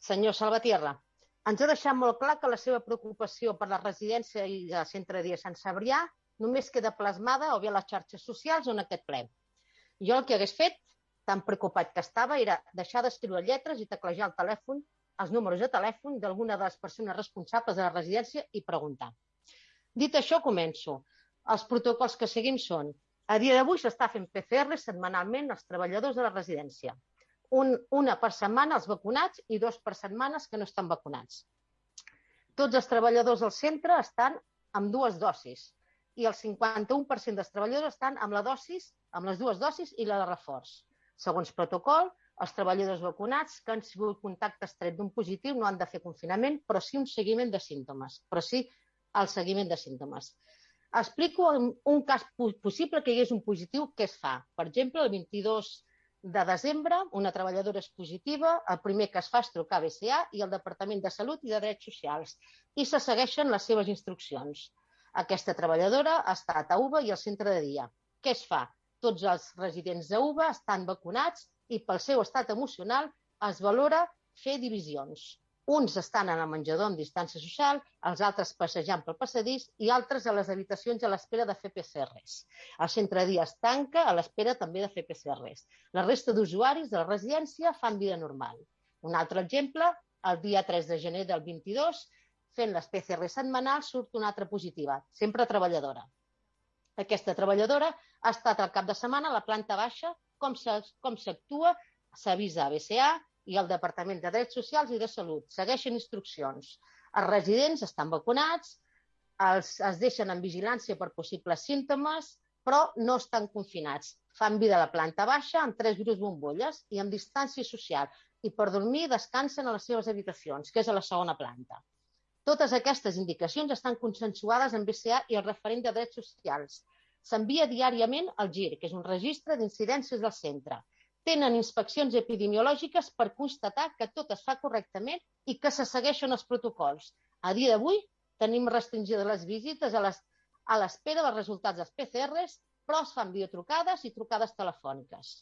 Senyor Salvatierra, ens ha deixat molt clar que la seva preocupació per la residència i el centre de dia Sant Cebrià només queda plasmada o bé a les xarxes socials o en aquest ple. Jo el que hagués fet, tan preocupat que estava, era deixar d'escriure lletres i teclejar el telèfon, els números de telèfon d'alguna de les persones responsables de la residència i preguntar. Dit això, començo. Els protocols que seguim són: a dia d'avui s'està fent PCR setmanalment als treballadors de la residència. Una per setmana els vacunats i 2 per setmanes que no estan vacunats. Tots els treballadors del centre estan amb 2 dosis i el 51% dels treballadors estan amb les 2 dosis i la de reforç. Segons protocol, els treballadors vacunats que han sigut contacte estret d'un positiu no han de fer confinament, però sí un seguiment de símptomes. Explico un cas possible que hi hagués un positiu, què es fa. Per exemple, el 22 de desembre, una treballadora és positiva, el primer que es fa és trucar a BCA i al Departament de Salut i de Drets Socials i se segueixen les seves instruccions. Aquesta treballadora ha estat a UVA i al centre de dia. Què es fa? Tots els residents d'UVA estan vacunats i pel seu estat emocional es valora fer divisions. Uns estan en el menjador amb distància social, els altres passejant pel passadís i altres a les habitacions a l'espera de fer PCRs. El centre de dia es tanca a l'espera també de fer PCRs. La resta d'usuaris de la residència fan vida normal. Un altre exemple, el dia 3 de gener del 22, fent les PCR setmanals, surt una altra positiva, sempre treballadora. Aquesta treballadora ha estat al cap de setmana a la planta baixa, com s'actua, s'avisa a BCA i al Departament de Drets Socials i de Salut. Segueixen instruccions. Els residents estan vacunats, es deixen en vigilància per possibles símptomes, però no estan confinats. Fan vida a la planta baixa amb 3 grups bombolles i amb distància social i per dormir descansen a les seves habitacions, que és a la segona planta. Totes aquestes indicacions estan consensuades amb BCA i el referent de drets socials. S'envia diàriament al GIR, que és un registre d'incidències del centre. Tenen inspeccions epidemiològiques per constatar que tot es fa correctament i que se segueixen els protocols. A dia d'avui tenim restringides les visites a l'espera dels resultats dels PCRs, però es fan videotrucades i trucades telefòniques.